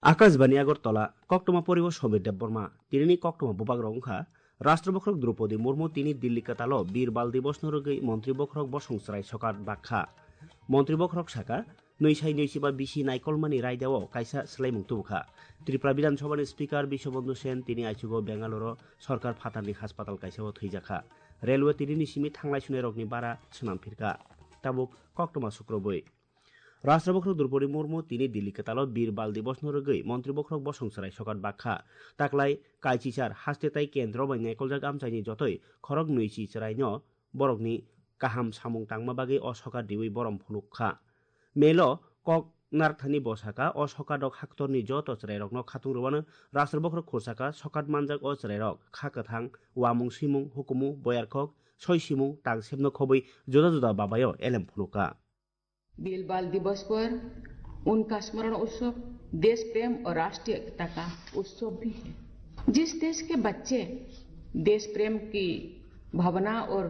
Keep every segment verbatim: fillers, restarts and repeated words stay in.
Akashbani Agartala, koktwma poribo Somir Debbarma, tinini koktwma bubagrok wngkha, Rashtra Bokhorok Droupadi Murmu tini Dilli kwtalo Bir Bal Divosno rwgwi Montri Bokhorok bosong chwrai sokat bakha. Montri Bokhorok saka, nwi sai nwi chiba bisi naikolmani raidao kaisa swlaimung tubukha. Tripura Bidhan Sabhani Speaker Biswabandhu Sen tini aichugo Bengaluru sorkar phatarni haspatal kaisao thwijakha. Railway tinini simi thanglai sunairokni bara swnam phirkha. Tabuk koktwma sukrubwi. Rashtra Bokhorok Droupadi Murmu tini Dilli kwtalo Bir Bal Divosno rwgwi Montri Bokhorok bosong chwrai sokat bakha. Taklai kaichichar haste tai kendro bai naikoljak amchaini jotoi khorok nwichi chwraino borokni kaham samung tangma bagwi o sokat riwi borom phunuk kha. Melo kok narwkthani bo saka, o sokat rok haktorni joto chwrairokno khatung rwano Rashtra Bokhorok khursaka sokat manjak o chwrairok kha kwthang, wamung swimung, hukumu, boyarkhok, soi simung, tang sepno khobwi juda juda babaio elem phunukha. बीर बाल दिवस पर उनका स्मरण उत्सव देश प्रेम और राष्ट्रीय एकता का उत्सव भी है। जिस देश के बच्चे देश प्रेम की भावना और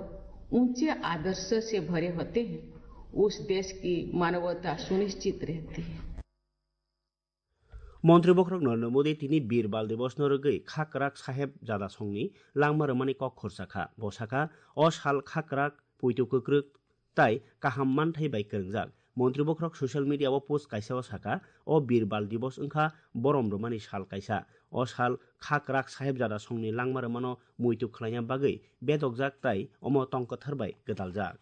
ऊंचे आदर्श से भरे होते हैं, उस देश की मानवता सुनिश्चित रहती है। Montri Bokhorok Narendra Modi tini Bir Bal Divosno rwgwi Khakrak Saheb Jada Songni langma rwmani kok khorsa kha. Bo sakha, o sal khakrak, puitu kwkrwk tai kaham manthai bai kwrwngjak. Montri Bokhorok social media o post kaisa o sakha, o Bir Bal Divos wngkha borom rwmani sal kaisa. O sal Khakrak Saheb Jada Songni langma rwmano muitu khlaina bagwi bedokjak tai omo tong kwthar bai gwdaljak.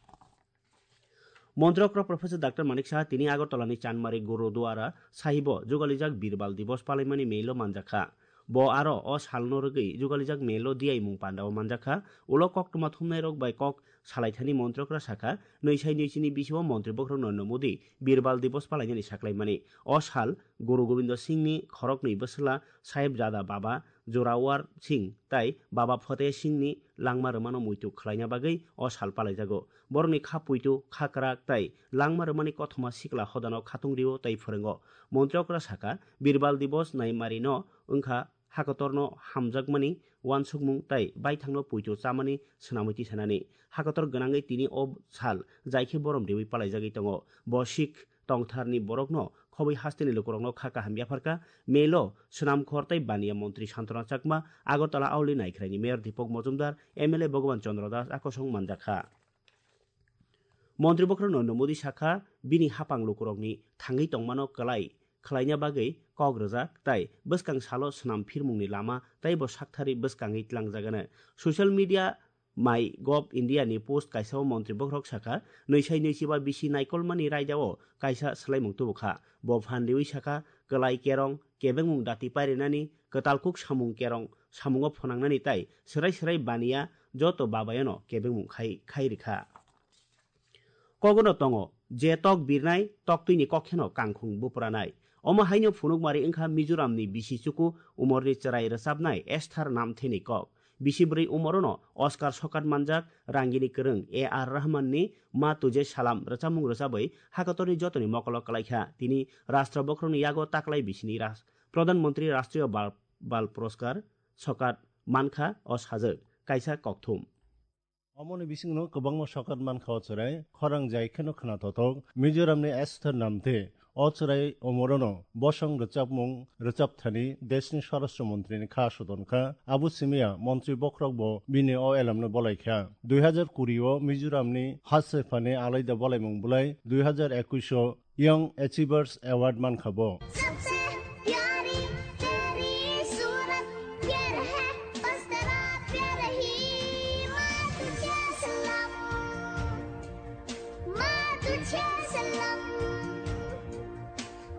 Montri okra Professor Doctor Manik Saha tini Agartala ni Chanmari Gurudwara Sahibo jugalijak Bir Bal Divos palaimani mail o manjakha. Bo aro o salno rwgwi jugalijak mail o diyaimung pandao manjakha. Ulo koktwma thumnairok bai kok salaithani Montri okra sakha, nwi sai nwi chini bisio Montri Bokhorok Narendra Modi Bir Bal Divos palainani saklaimani. O sal Guru Gobindo Singhni khoroknwi bwswla Sahebzada Baba Jorawar Singh tai Baba Fateh Singhni langma rwmano muitu khlaina bagwi o sal palaijago. Borokni kha puitu, kha kwrak tai langma rwmani kothoma sikla hodano khatung rio tai phwrwngo. Montri okra sakha, Birbal Divos naimarino wngkha hakotorno hamjakmani uansukmung tai baithangno puitu chamani swnamwi tisanani. Hakotor gwnangwi tini o sal jaikhe borom riwi palaijagwi tongo. Bo Sikh tongtharni borokno khobwi hasteni lukurokno kha kaham yapharkha. Melo swnamkhor tai baniya montri Santona Chakma, Agartala Auli Naikhraini Mayor Deepak Mojumdar, M L A Bhagavan Chandra Das akosong manjakha. Montri Bokhorok Narendra Modi sakha, bini hapang lukurokni thangwi tongmano kwlai khlaina bagwi kok rwjak tai bwskang salo swnam phirmungni lama taibo sakthari bwskangwi tlangjagano. Social media My Gov India ni post kaisa o Montri Bokhorok sakha, nwi sai nwi chiba bisi naikolmani raida o kaisa swlaimung tubukha. Bo phan riwi sakha, kwlai kerong, kebengmung dati pairinani, kwtal kuk samung kerong, samungo phwnangnani tai swrai swrai baniya joto babayono kebengmung khai, khai rikha. Kogono tongo, je tok birnai, toktwini kokheno kangkhung bupranai. Omo haino phunukmari wngkha Mizoramni bisi chuku umorni chwrai rwchapnai Esther Namtheni kok. Bisi bwrwi umorono Oscar sokat manjak rangini kwrwng A R Rahmanni Ma Tujhe Salam rwchapmung rwchabwi hakatorni jotoni mokolo kwlaikha. Tini Rashtra Bokhorokni yago taklai bisini Ras-, Pradhan Mantri Rashtriya Bal, Bal Puraskar sokat mankha o sajwk kaisa kokthum. Omoni bisingno kwbangma sokat mankha o chwrai, khorang jai kheno khna thothok. Mizoramni Esther Namthe o chwrai omorono bosong rwchapmung rwchapthani deshni Swarashtra Montrini kha sodonkha. Abo simiya Montri Bokhorok bo bini o elamno bolaikha. Dui hazar kuri o Mizoramni Hasephani alaida bolaimung bulai, dui hazar ekush o Young Achievers Award mankha bo. सबसे प्यारी तेरी सूरत, प्यार है बस तेरा प्यार ही। माँ तुझे सलाम, माँ तुझे सलाम,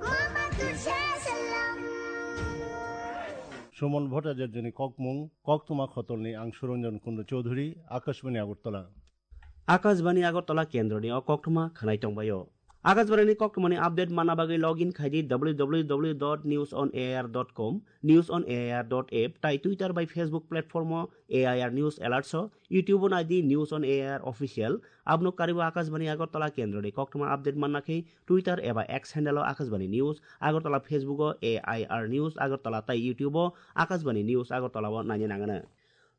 मामा तुझे सलाम। Suman Bhattacharya ni kokmung, koktwma khotolni ang Suranjan Kundu Chaudhuri, Akashbani Agartala. Akashbani Agartala kendroni o koktwma khwnai tongbaio. Akashbani ni koktwmani update manna bagwi login khai di W W W dot news on A I R dot com, news on A I R dot app, tai Twitter bai Facebook platform o A I R News Alerts o, YouTube o nai di News on A I R Official. Abno karibo Akashbani Agartala kendroni koktwma update manna khe Twitter eba X handle o Akashbani News Agartala, Facebook o A I R News Agartala tai YouTube o Akashbani News Agartala o naina nangano.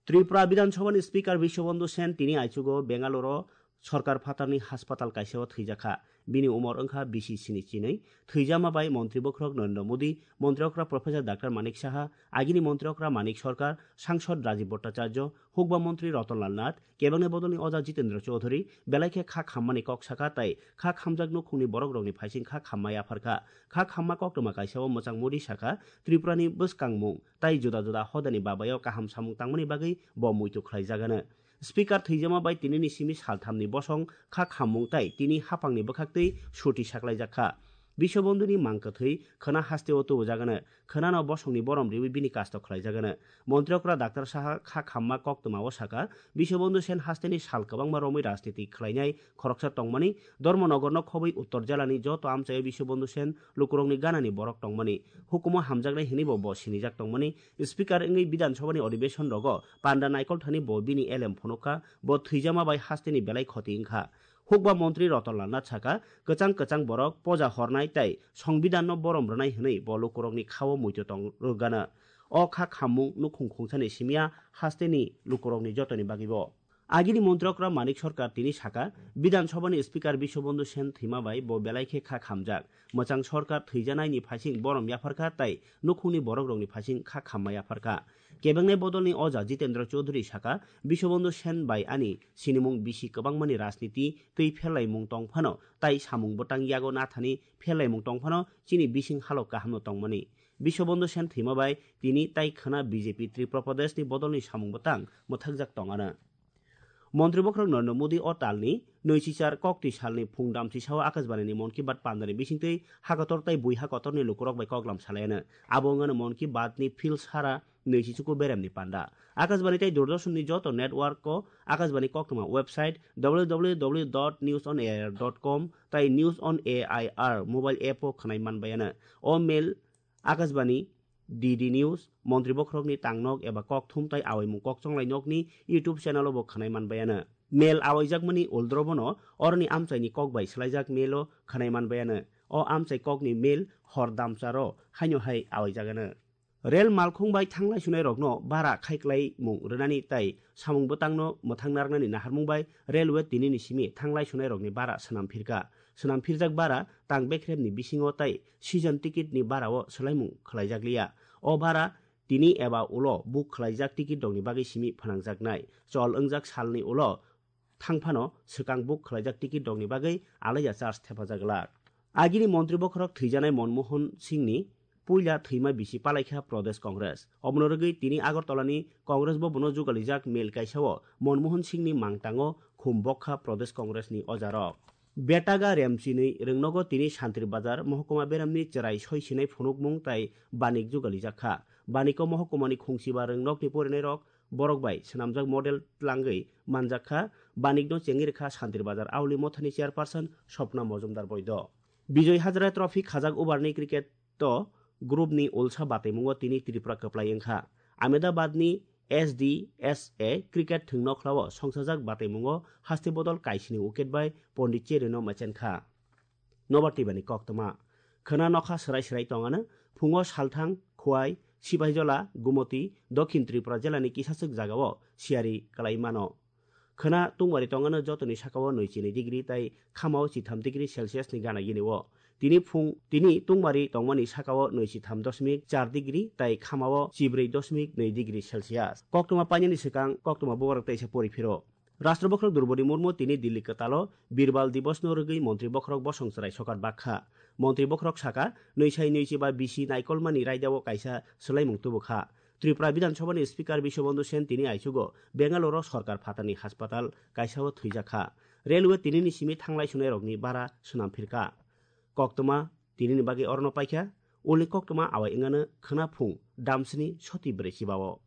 Tripura Bidhan Sabhani Speaker Biswabandhu Sen tini aichugo Bengaluru Sorkar phatarni haspatal kaisao thwijakha. Bini umor wngkha bisi sini chinwi. Thwijama bai montri bokhorok Narendra Modi, montri okra Professor Doctor Manik Saha, agini montri okra Manik Sarkar, sangsod Rajiv Bhattacharya, hukba montri Ratan Lal Nath, kebengni bodolni oja Jitendra Chaudhary, belai khe kha khammani kok saka tai kha khamjak nukhungni borokrokni phaising kha khamma yapharkha. Kha khamma koktwma kaisao mwchang Modi sakha, Tripurani bwskangmung tai juda juda hodani babaio kaham samung tangmani bagwi bo muitu khlaijagano. Speaker thwijama bai tinini simi salthamni bosong kha khammung tai tini haphangni bwkhaktwi suti saklaijak kha. Biswabondhuni mang kwthwi khwna hasteo tubujagano, khwnano bosongni borom riwi bini kasto khlaijagano. Montri okra Doctor Saha kha khamma koktwmao sakha, Biswabondhu Sen hasteni sal kwbangma romwi rajniti khlainai khoroksa tongmani, Dharmanagarno khobwi Uttor jelani joto amchaio Biswabondhu Sen lukurokni ganani borok tongmani, hukumo hamjaknai hwnwibo bo sinijak tongmani, Speaker wngwi Bidhan Sabhani odhibeshon rogo panda naikol thani bo bini elem phunukha, bo thwijama bai hasteni belai khoti wngkha. Hukba montri Ratan Lal Nath sakha, kwchang kwchang borok poja hornai tai Songbidanno borom rwnai hwnwi bo lukurokni khao muitu tong rwgano. O kha khammung nukhung khungsani simiya hasteni lukurokni jotoni bagwibo. Agini montri okra Manik Sarkar tini sakha, Bidhan Sabhani Speaker Biswabandhu Sen thwima bai bo belai khe kha khamjak. Mwchang Sarkar thwijanaini phaising borom yapharkha tai nukhungni borokrokni phaising kha khamma yapharkha. Kebengnai bodolni oja Jitendra Chaudhary sakha, Biswabandhu Sen bai ani sinimung bisi kwbangmani rajniti twi pherlaimung tong phano tai samung bwtang yago nathani pherlaimung tong phano chini bising halok kahamno tongmani. Biswabandhu Sen thwima bai tini tai khwna B J P Tripura Pradeshni bodolni samung bwtang mwthakjak tongano. Montri bokhorok Narendra Modi o talni nwichichar koktwi salni phung damchisao Akashbanini Mann Ki Baat pandani bisingtwi hakator tai buiha kotorni lukurok bai koklam salaiano. Abo wngano Mann Ki Baatni phil sara nwichichuku beremni panda. Akashbani tai Doordarshanni joto network-o Akashbani koktwma website W W W dot news on air dot com tai News on A I R mobile app-o khwnai manbaiano. O mail Akashbani, D D News, montri bokhorokni tangnok eba kokthum tai awaimung kokchonglai nokni YouTube channel-o bo khwnai manbaiano. Mail awaijakmani uldrobono oroni amchaini kok bai swlaijak mail-o khwnai manbaiano. O amchai kokni mail hor damcharo haino hai awaijagano. Rel malkhung bai thanglai sunai rokno bara khaiklaimung rwnani tai samung bwtangno mwthang narwknani naharmung bai railway tinini simi thanglai sunai rokni bara swnam phirkha. Swnam phirjak bara tang bekremni bisingo tai season ticket ni bara o swlaimung khwlaijak liya. O bara tini eba ulo book khwlaijak ticket rokni bagwi simi phnangjaknai. Chol wngjak salni ulo thangphano swkang book khwlaijak ticket rokni bagwi alaiya charge thepajak glak. Agini montri bokhorok thwijanai Manmohan Singhni puila thwima bisi palaikha Pradesh Congress. Omono rwgwi tini Agartalani Congress bhabono jugalijak mail kaisao Manmohan Singhni mangtango khum bokha Pradesh Congressni ojarok. Betaga remchinwi rwngnogo tini Santri Bazar mohokuma beramni chwrai soi sinai phunukmung tai banik jugalijak kha. Baniko mohokuma ni khungchiba rwngnokni porinairok borok bai swnamjak model tlangwi manjak kha. Banikno chengwi rwkha Santri Bazar Auli Mothani chairperson Swapna Mojumdar Boido. Bijoy Hazare Trophy khajak overni cricket to group ni ulsa bataimungo tini Tripura kwplai wngkha. Ahmedabad ni S D S A cricket thwngnokhla o songsajak bataimungo haste bodol kaisini wicket bai Pondit Cherry no mechenkha. Nobar twibani koktwma. Khwna nokha swrai swrai tongano, phungo Salthang, Khwai, Sipaijola, Gumoti, Dokhin Tripura jelani kisachwk jagao siyari kwlai mano. Khwna tungmari tongano jotoni sakao nwi chinwi degree tai khamao chitham degree Celsius ni gana gini o. Tini phung, tini tungmari tongmani sakao nwi chitham dosmik char degree tai khamao chibrwi dosmik nwi degree Celsius. Koktwma painani swkang koktwma bubagrok teisa pori phiro. Rashtra bokhorok Droupadi Murmu tini Delhi kwtalo Birbal Divosno rwgwi montri bokhorok bosong chwrai sokat bakha. Montri bokhorok sakha, nwi sai nwi chiba bisi naikolmani raidao kaisa swlaimung tubukha. Tripura Bidhan Sabhani Speaker Biswabandhu Sen tini aichugo Bengaluru sorkar phatarni haspatal kaisao thwijakha. Railway tinini simi thanglai sunairokni bara swnam phirkha. Koktwma tinini bagwi orono paikha, ulni koktwma awai wngano khwna phung damsini soti brwi chibao.